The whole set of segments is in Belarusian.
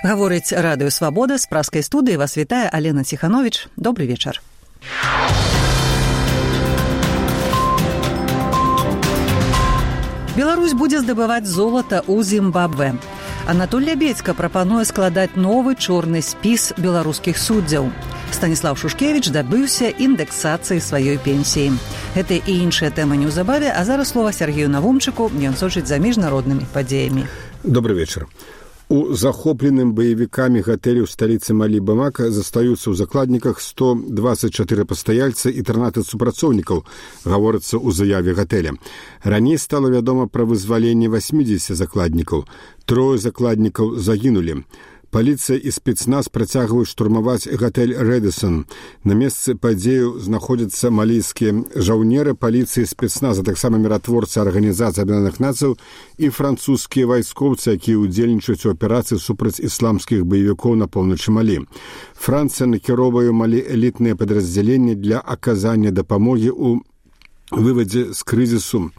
Гаворыць радыё «Свабода», з праскай студыі вас вітае Алена Ціхановіч. Добры вечар. Беларусь будзе здабываць золата ў Зімбабве. Анатоль Лябедзька прапануе складаць новы чорны спіс беларускіх суддзяў. Станіслав Шушкевіч дабыўся індэксацыі сваёй пенсіі. Гэта і іншыя тэмы неўзабаве, а зараз слова Сергею Навумчыку, ён сочыць за міжнароднымі падзеямі. Добрый вечар. У захопленым баевікамі гатэлі ў сталіцы Малі Бамака застаюцца ў закладніках 124 пастаяльца і 13 супрацоўнікаў, гаворыцца ў заяве гатэля. Раней стала вядома пра вызваленне 80 закладнікаў. 3 закладнікаў загінулі. Паліцыя і спецназ працягваюць штурмаваць гатэль «Рэдысон». На месцы падзею знаходзяцца малійскія жаўнеры паліцыі і спецназа, таксама міратворцы Арганізацыі Аб'яднаных Нацыяў і французскія вайскоўцы, якія ўдзельнічаюць у аперацыі супраць ісламскіх баевікоў на поўначы Малі. Францыя накіроўвае Малі элітныя падраздзяленні для аказання дапамогі ў вывадзе з крызісу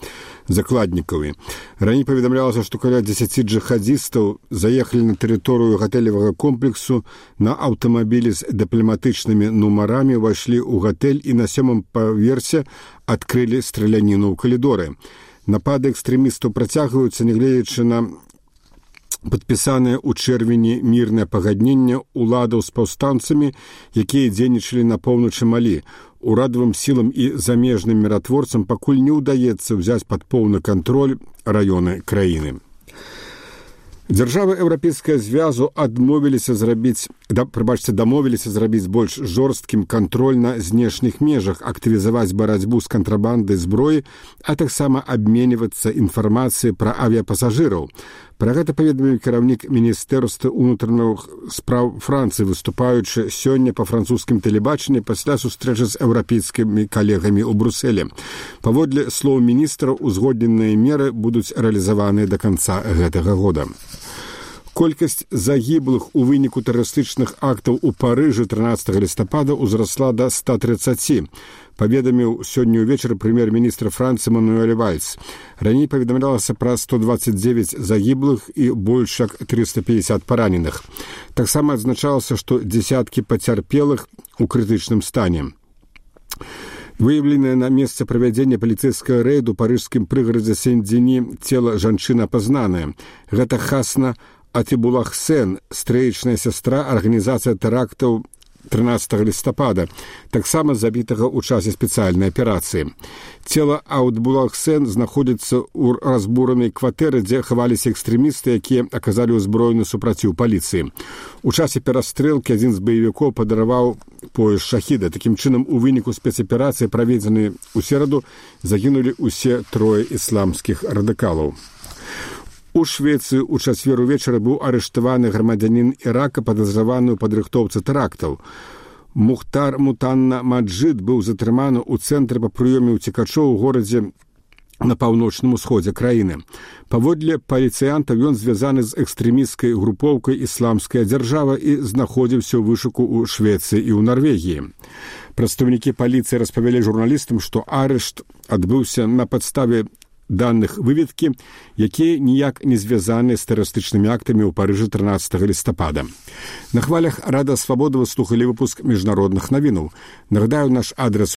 закладнікаў. Раней паведамлялася, што каля 10 джихадзістаў заехалі на тэрыторыю гатэлевага комплексу на аўтамабілі з дыпламатычнымі нумарамі, увайшлі ў гатэль і на 7-м паверсе адкрылі страляніну ў калідоры. Напады экстрэмістаў працягваюцца, нягледзячы на падпісанае ў чэрвені мірнае пагадненне уладаў з паўстанцамі, якія дзейнічалі на поўначы Малі. Урадавым сілам і замежным міратворцам пакуль не ўдаецца ўзяць пад поўны кантроль раёны краіны. Дзяржавы Еўрапейскага звязу дамовіліся зрабіць больш жорсткім кантроль на знешніх межах, актывізаваць барацьбу з кантрабандай зброі, а таксама абменьвацца інфармацыяй пра авіяпасажыраў. Пра гэта паведаміў кіраўнік Міністэрства ўнутраных спраў Францыі, выступаючы сёння па французскім тэлебачанні пасля сустрэчы з еўрапейскімі калегамі ў Брусэлі. Паводле слоў міністра, узгодненыя меры будуць рэалізаваныя да канца гэтага года. Колькасць загіблых у выніку тэрарыстычных актаў у Парыжы 13 лістапада ўзрасла да 130, паведаміў сёння ўвечары прэм'ер-міністр Францыі Мануэль Вальс. Раней паведамлялася пра 129 загіблых і больш як 350 параненых. Таксама адзначалася, што дзесяткі пацярпелых у крытычным стане. Выяўленае на месцы правядзення паліцэйскага рэйду ў парыжскім прыгарадзе Сен-Дзені цела жанчыны апазнанае. Гэта Хасна Атибулахсен, стрэечная сястра арганізацыя тэрактаў 13 лістапада, таксама забітага ў часе спецыяльнай аперацыі. Цела Атибулахсен знаходзіцца ў разбуранай кватэры, дзе хаваліся экстрэмісты, якія аказалі ўзброены супраціў паліцыі. У часе перастрэлкі адзін з баевікоў падараваў пояс шахіда. Такім чынам, у выніку спецаперацыі, праведзенай у сераду, загінулі ўсе 3 ісламскіх радыкалаў. У Швецыі ў чацвер увечары быў арыштаваны грамадзянін Ірака, падазраваны ў падрыхтоўцы тэрактаў. Мухтар Мутанна Маджид быў затрыманы ў цэнтры па прыёме ўцекачоў у горадзе на паўночным усходзе краіны. Паводле паліцыянтаў, ён звязаны з экстрэмісцкай групоўкай «Ісламская дзяржава» і знаходзіўся ў вышуку ў Швецыі і ў Нарвегіі. Прадстаўнікі паліцыі распавялі журналістам, што арышт адбыўся на падставе даных выведкі, якія ніяк не звязаны з тэрарыстычнымі актамі ў Парыжы 13 лістапада. На хвалях Радыё Свабода вы слухалі выпуск міжнародных навінаў. Нагадаю, наш адрес